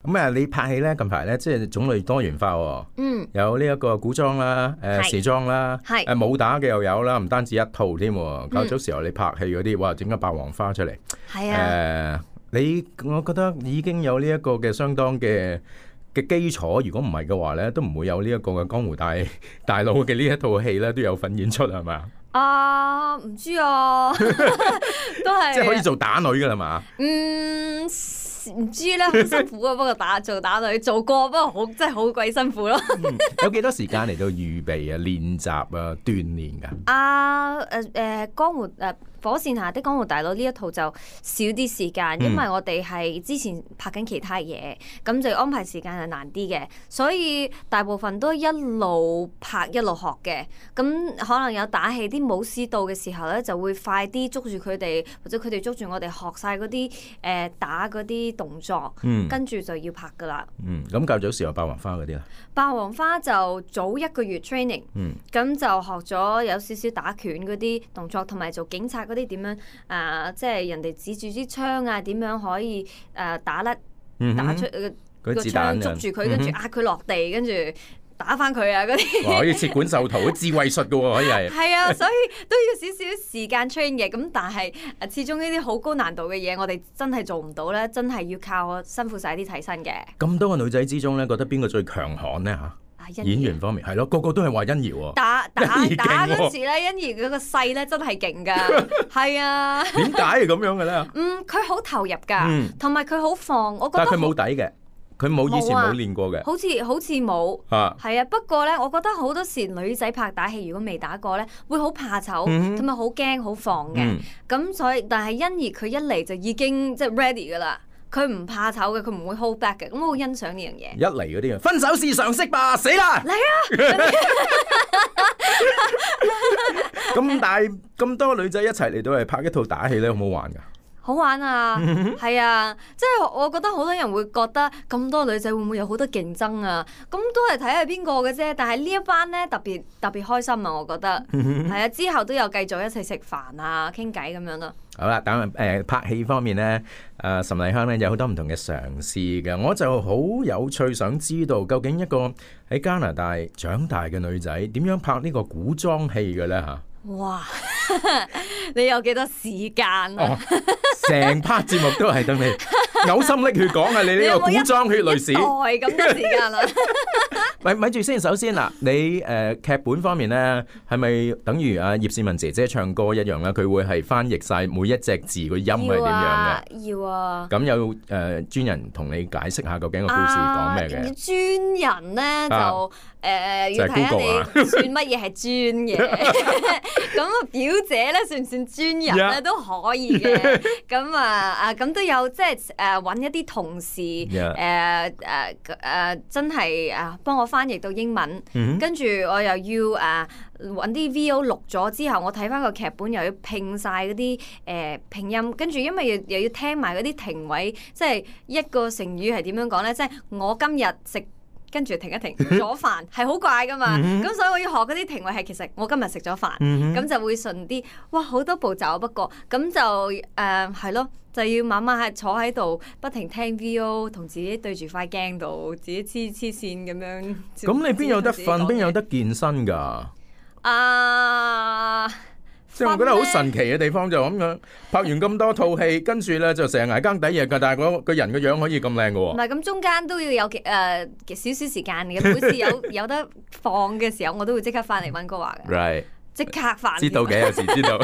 咁啊，你拍戲咧近排咧，即係種類多元化喎。有呢一個古裝啦，時裝啦，武打嘅又有啦，唔單止一套添。較早時候你拍戲嗰啲，哇，整個霸王花出嚟。係啊。我覺得已經有呢一個嘅相當嘅基礎，如果唔係嘅話咧，都唔會有呢一個嘅江湖大佬嘅呢一套戲咧，都有份演出係咪啊？唔知啊，都係即係可以做打女噶啦嘛？唔知咧，好辛苦啊！不過做打女做過，不過真係好鬼辛苦咯。有幾多時間嚟到預備啊、練習啊、鍛鍊㗎？江湖火線下的江湖大佬呢一套就少啲時間，因為我哋係之前拍緊其他嘢，咁就安排時間係難啲嘅，所以大部分都一路拍一路學嘅。咁可能有打戲啲武師到嘅時候咧，就會快啲捉住佢哋，或者佢哋捉住我哋學晒嗰啲打嗰啲動作，跟住就要拍噶啦。咁較早時有霸王花嗰啲啦。霸王花就早1個月 training，咁就學咗有少少打拳嗰啲動作，同埋做警察嗰啲點樣即係人哋指住支槍啊，點樣可以打甩打出個槍捉住佢，跟住壓佢落地，跟住打翻佢啊嗰啲。可以切管授徒，智慧術噶喎，可以係。係啊，所以都要少少時間 train 嘅。咁但係始終呢啲好高難度嘅嘢，我哋真係做唔到咧，真係要靠辛苦晒啲替身嘅。咁多個女仔之中咧，覺得邊個最強悍咧嚇？演員方面係咯，個個都係話欣宜喎。打嗰時咧，欣宜嗰個勢咧真係勁㗎，係啊。點解係咁樣嘅咧？佢好投入㗎，同埋佢好放。我覺得但係佢冇底嘅，佢以前冇練過嘅。好似冇。係啊，不過咧，我覺得好多時女仔拍打戲，如果未打過咧，會好怕醜，同埋好驚、好放嘅。咁所以，但係欣宜佢一嚟就已經即係 ready 㗎啦。佢唔怕醜嘅，佢唔會 hold back 嘅，咁我好欣賞呢樣嘢。一嚟嗰啲啊，分手是常識吧，死啦！嚟啊！咁但係咁多女仔一齊嚟到嚟拍一套打戲咧，好唔好玩㗎？好玩啊，係啊，即係我覺得好多人會覺得咁多女仔會唔會有好多競爭啊？咁都係睇下邊個嘅啫。但係呢一班咧特別開心啊，我覺得係啊。之後都有繼續一齊食飯啊、傾偈咁樣咯。好啦，等拍戲方面咧，岑麗香咧有好多唔同嘅嘗試嘅，我就好有趣想知道究竟一個喺加拿大長大嘅女仔點樣拍呢個古裝戲嘅咧嚇？哇！你有幾多時間啊？成 part 節目都係等你嘔心瀝血講啊！你呢個古裝血淚史，咁多時間啦。咪住先，首先嗱，你劇本方面咧，係咪等於葉倩文姐姐唱歌一樣咧？佢會係翻譯晒每一隻字個音係點樣嘅？要啊！咁有專人同你解釋下究竟個故事講咩嘅？專人咧就要睇下你算乜嘢係專嘅。咁啊，表姐咧算唔算專人咧都可以嘅。咁咁都有即係揾一啲同事真係幫我翻譯到英文，跟住我又要揾啲 VO 錄咗之後，我睇翻個劇本又要拼晒嗰啲拼音，跟住因為又要聽埋嗰啲停位，即係一個成語係點樣講咧？即係我今日食。跟住停一停，咗飯係好怪噶嘛，咁所以我要學嗰啲停位係其實我今日食咗飯，咁就會順啲。哇，好多步驟，不過咁就係咯，就要慢慢係坐喺度，不停聽 VO， 同自己對住塊鏡度，自己黐線咁樣。咁你邊有得瞓，邊有得健身㗎？即係我覺得好神奇嘅地方就咁樣，拍完咁多套戲，跟住咧就成日捱更抵夜㗎，但係個人個樣可以咁靚嘅喎。唔係，咁中間都要有少少時間嘅，每次有得放嘅時候，我都會即刻翻嚟溫哥華嘅。Right， 即刻翻。知道嘅，有時知道。